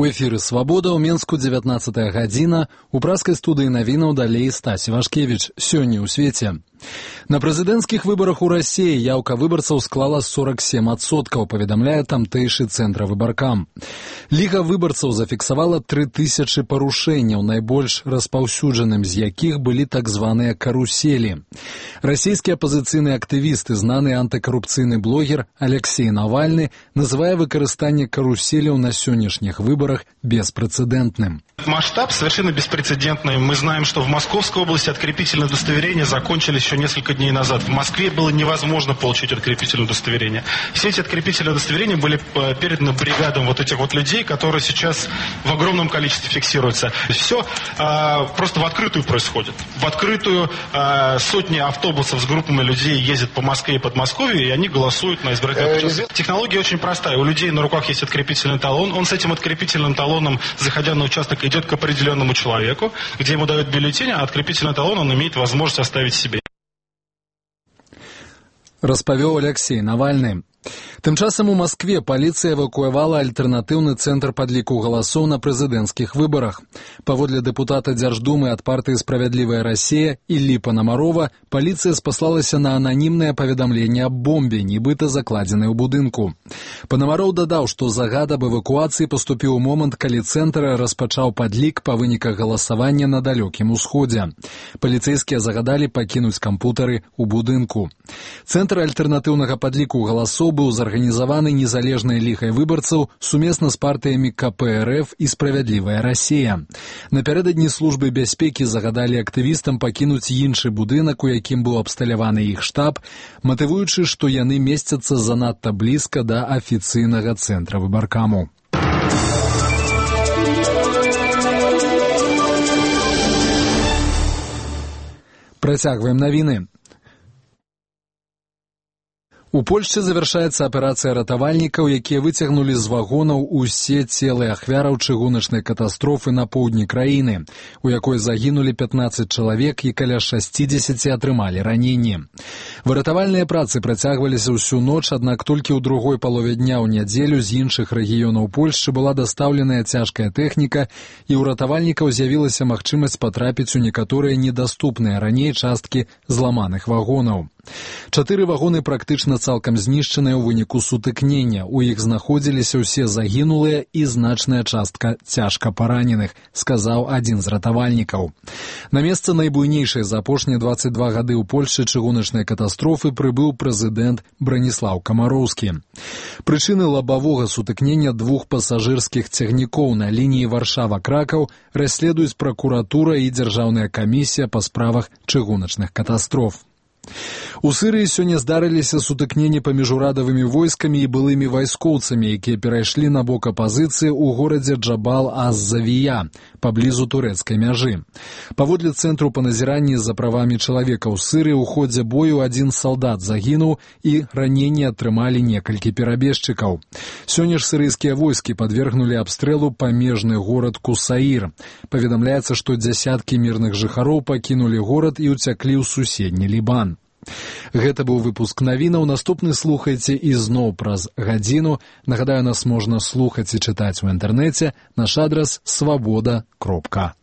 У эфіры «Свабода» ў Менску 19 гадзіна. У праскай студыі навінаў далей Стась Івашкевіч. Сёння ў свеце. На прэзідэнцкіх выбарах у Расіі яўка выбарцаў склала 47%, паведамляе тамтэйшы цэнтр выбаркам. Ліга выбарцаў зафіксавала 3000 парушэнняў, найбольш распаўсюджаным з якіх былі так званыя каруселі. Расійскі апазіцыйны актывіст і знаны антыкарупцыйны блогер Алексей Навальны называе выкарыстанне каруселяў на сённяшніх выборах беспрецедентным. Масштаб совершенно беспрецедентный. Мы знаем, что в Московской области открепительные удостоверения закончились еще несколько дней назад. В Москве было невозможно получить открепительное удостоверение. Все эти открепительные удостоверения были переданы бригадам вот этих вот людей, которые сейчас в огромном количестве фиксируются. Все просто в открытую происходит. В открытую сотни автобусов с группами людей ездят по Москве и Подмосковью, и они голосуют на избирательных участках. Технология очень простая. У людей на руках есть открепительный талон. Он с этим открепительным талоном, заходя на участок, идет к определенному человеку, где ему дают бюллетень, а открепительный талон он имеет возможность оставить себе. Распавёў Алексей Навальны. Тым часам у Маскве паліцыя эвакуявала альтэрнатыўны цэнтр падліку галасоў на прэзідэнцкіх выбарах. Паводле дэпутата Дзярждумы ад партыі «Справядлівая Расія» Іллі Панамарова, паліцыя спаслалася на ананімнае паведамленне аб бомбе, нібыта закладзенай у будынку. Панамаров дадаў, што загад аб эвакуацыі паступіў у момант, калі цэнтр распачаў падлік па выніках галасавання на далёкім усходзе. Паліцэйскія загадалі пакінуць кампутары ў будынку. Цэнтр альтэрнатыўнага падліку галасоў быў зарганізаваны незалежнай лігай выбарцаў сумесна з партыямі КПРФ і «Справядлівая Расія». Напярэдадні службы бяспекі загадалі актывістам пакінуць іншы будынак, у якім быў абсталяваны іх штаб, матывуючы, што яны месцяцца занадта блізка да афіцыйнага цэнтра выбаркаму. Працягваем навіны. У Польшчы завяршаецца аперацыя ратавальнікаў, якія выцягнулі з вагонаў усе целы ахвяраў чыгуначнай катастрофы на поўдні краіны, у якой загінулі 15 чалавек і каля 60 атрымалі раненні. Выратавальныя працы працягваліся ўсю ноч, аднак толькі ў другой палове дня ў нядзелю з іншых рэгіёнаў Польшчы была дастаўленая цяжкая тэхніка, і ў ратавальнікаў з'явілася магчымасць патрапіць у некаторыя недаступныя раней часткі зламаных вагонаў. 4 вагоны практычна цалкам знішчаныя ў выніку сутыкнення. У іх знаходзіліся ўсе загінулыя і значная частка цяжка параненых, сказаў адзін з ратавальнікаў. На месца найбуйнейшай за апошнія 22 гады ў Польшчы чыгуначнай катастрофы прыбыў прэзідэнт Браніслаў Камароўскі. Прычыны лабавога сутыкнення 2 пасажырскіх цягнікоў на лініі Варшава-Кракаў расследуюць пракуратура і дзяржаўная камісія па справах чыгуначных катастроф. У Сырыі сёння здарыліся сутыкненні паміж урадавымі войскамі і былымі вайскоўцамі, якія перайшлі на бок апазіцыі ў горадзе Джабал-аз-Завія, паблізу турэцкай мяжы. Паводле цэнтру па назіранні за правамі чалавека ў Сырыі ў ходзе бою адзін салдат загінуў і раненні атрымалі некалькі перабежчыкаў. Сёння ж сырыйскія войскі падвергнулі абстрэлу памежны горад Кусаір. Паведамляецца, што дзясяткі мірных жыхароў пакінулі горад і ўцяклі ў суседні Лібан. Гэта быў выпуск навінаў. Наступны слухайце ізноў праз гадзіну. Нагадаю, нас можна слухаць і чытаць у інтэрнэце. Наш адрас свабода.орг.